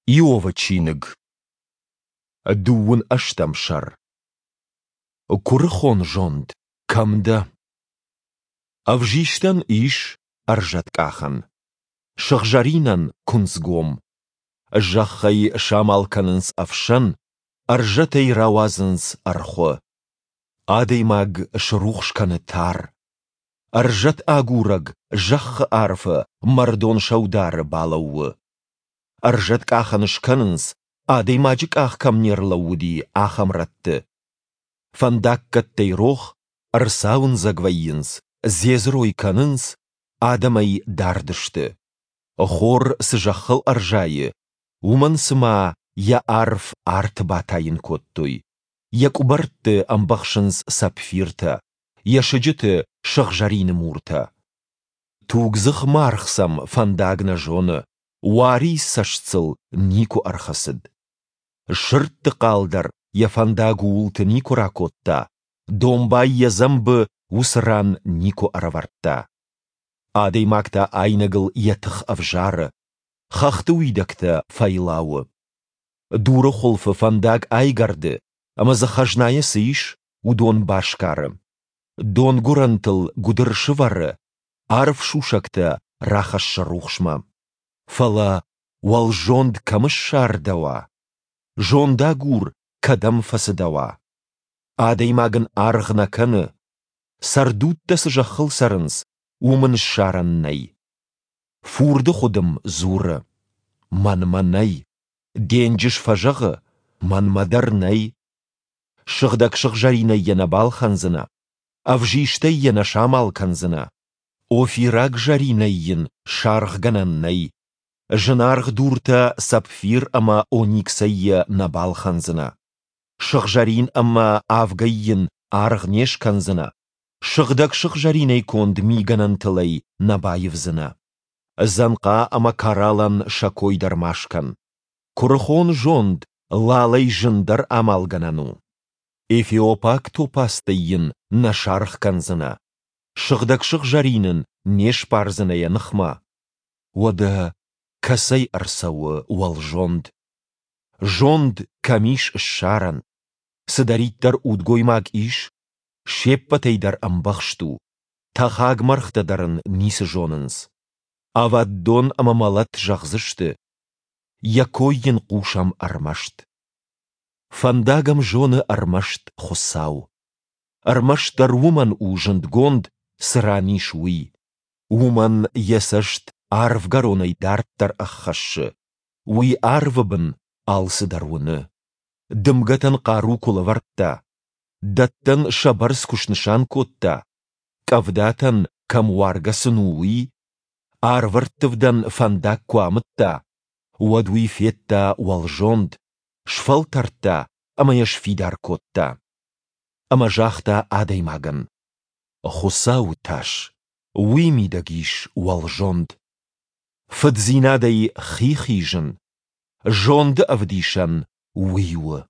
Иовы чиныг, дыууын ӕстӕм сӕр. Куырыхон зонд, кӕм дӕ? Ӕвзистӕн ис ӕрзӕткъахӕн, сыгъзӕринӕн куынцгом. Зӕххӕй самал кӕнынц ӕфсӕн, ӕрзӕтӕй рауадзынц ӕрхуы. Адӕймаг срухс кӕны тар. Ӕрзӕт агурӕг зӕххы арфы мӕрдон сӕудары балӕууы. Ӕрзӕткъахӕн скӕнынц, адӕймаджы къах кӕм не рлӕууыди, ахӕм рӕтты. Фӕндаггӕттӕй рох, ӕрцауындзӕг вӕййынц, дзедзырой кӕнынц, адӕмӕй дард сты. Хор цы зӕххыл ӕрзайы, уымӕн цыма йӕ арф арты батайын кодтой, йӕ къуыбӕртты ӕмбӕхсынц сапфиртӕ, йӕ сыджыты сыгъзӕрины муртӕ. Тугдзых маргъ сӕм фӕндаг нӕ зоны, уарийы цӕст сыл никуы ӕрхӕцыд. Сырдты хъал дӕр йӕ фӕндаг ууылты никуы ракодта, домбай йӕ дзӕмбы уыцы ран никуы ӕрӕвӕрдта. Адӕймаг та айнӕгыл йӕ тых ӕвзары, хӕхты уидӕгтӕ фӕйлауы. Дуры хуылфы фӕндаг айгӕрды ӕмӕ дзы хӕзнайӕ цы ис, уыдон басгары. Донгуырӕнтыл гуыдыр сывӕры, арф сусӕгтӕ рахӕссы рухсмӕ. Фӕлӕ уӕлзонд кӕм ссардӕуа? Зондагур кӕдӕм фӕцыдӕуа? Адӕймаг ын аргъ нӕ кӕны. Цӕрдудтӕ цы зӕххыл цӕрынц, уым ын ссарӕн нӕй. Фурды хуыдым дзуры: Мӕнмӕ нӕй. Денджыз фӕзӕгъы: Мӕнмӕ дӕр нӕй. Сыгъдӕг сыгъзӕринӕй йӕ нӕ балхӕндзынӕ, ӕвзистӕй йӕ нӕ самал кӕндзынӕ, офираг зӕринӕй йын саргъгӕнӕн нӕй, зынаргъ дуртӕ сапфир ӕмӕ ониксӕй йӕ нӕ балхӕндзынӕ, сыгъзӕрин ӕмӕ авгӕй йын аргъ не скӕндзынӕ, сыгъдӕг сыгъзӕринӕй конд мигӕнӕнтыл ӕй нӕ баивдзынӕ. Дзӕнхъа ӕмӕ кораллӕн сӕ кой дӕр ма скӕн. Куырыхон зонд лалӕй зындӕр амалгӕнӕн у. Эфиопаг топазтӕй йын нӕ саргъ кӕндзынӕ, сыгъдӕг сыгъзӕрин ын не сбардзынӕ йӕ ныхмӕ. Уӕдӕ кӕцӕй ӕрцӕуы уӕлзонд? Зонд кӕм ис ссарӕн? Цыдӕриддӕр удгоймаг ис, се ппӕтӕй дӕр ӕмбӕхст у, тӕхӕг мӕргътӕ дӕр ын ницы зонынц. Ӕвӕддон ӕмӕ мӕлӕт зӕгъдзысты, йӕ кой йын хъусӕм ӕрмӕст. Фӕндаг ӕм зоны ӕрмӕст Хуыцау. Ӕрмӕстдӕр уымӕн у зындгонд, цы ран ис, уый. Уымӕн йӕ цӕст арвгӕронӕй дарддӕр ӕххӕссы. Уый арвы бын алцыдӕр уыны. Дымгӕтӕн хъару куы лӕвӕрдта, дӕттӕн сӕ бӕрц куы снысан кодта, къӕвдатӕн кӕм уаргӕ сын у, уый, арвӕрттывдӕн фӕндаг куы амыдта, уӕд уый федта уӕлзонд, сфӕлтӕрдта ӕмӕ йӕ сфидар кодта. Ӕмӕ загъта адӕймагӕн: Хуыцауы тас, уый мидӕг ис уӕлзонд. Фыддзинадӕй хи хизын, зонды ӕвдисӕн уый у.